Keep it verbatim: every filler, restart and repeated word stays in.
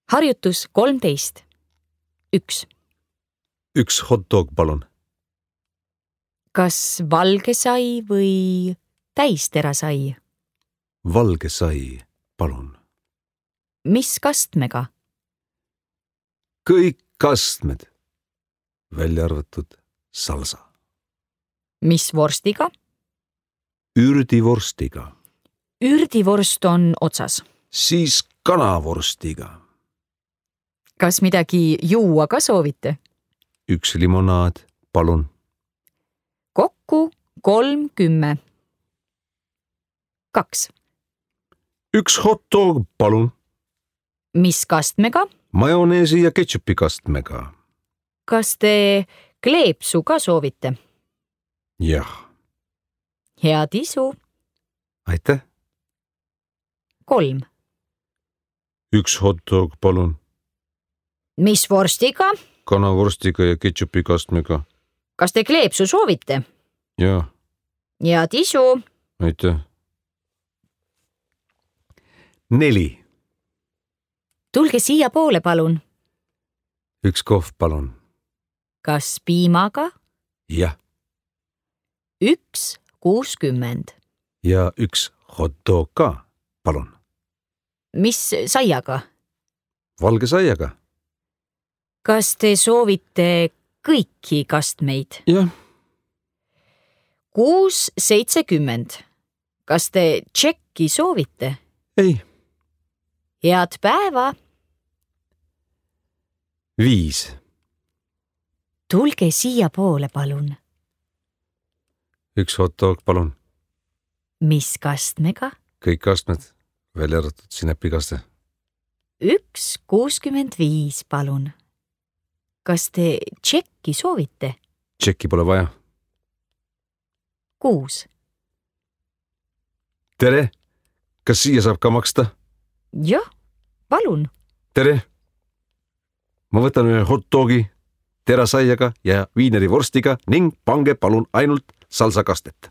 Harjutus kolmteist. Üks. Üks hot dog, palun. Kas valge sai või täistera sai? Valge sai, palun. Mis kastmega? Kõik kastmed, välja arvatud salsa. Mis vorstiga? Ürdivorstiga. Ürdivorst on otsas. Siis kanavorstiga. Kas midagi juua ka soovite? Üks limonaad, palun. Kokku kolm kümme. Kaks. Üks hot dog, palun. Mis kastmega? Majoneesi ja ketšupi kastmega. Kas te kleepsu ka soovite? Jah. Head isu. Aitäh. Kolm. Üks hot dog, palun. Mis vorstiga? Kanavorstiga ja ketšupi kastmega. Kas te kleepsu soovite? Jah. Head isu. Aitäh. Neli. Tulge siia poole, palun. Üks kohv, palun. Kas piimaga? Jah. Üks kuuskümmend. Ja üks hot dog ka, palun. Mis saiaga? Valge saiaga. Kas te soovite kõiki kastmeid? Jah. Kuus seitsekümmend. Kas te tšekki soovite? Ei. Head päeva. Viis. Tulge siia poole, palun. Üks hot dog, palun. Mis kastmega? Kõik kastmed, välja arvatud sinepikaste. Üks kuuskümmend viis, palun. Kas te tšekki soovite? Tšekki pole vaja. Kuus. Tere, kas siia saab ka maksta? Jah, palun. Tere. Ma võtan ühe hot dogi, terasaiaga ja viinerivorstiga ning pange palun ainult salsakastet.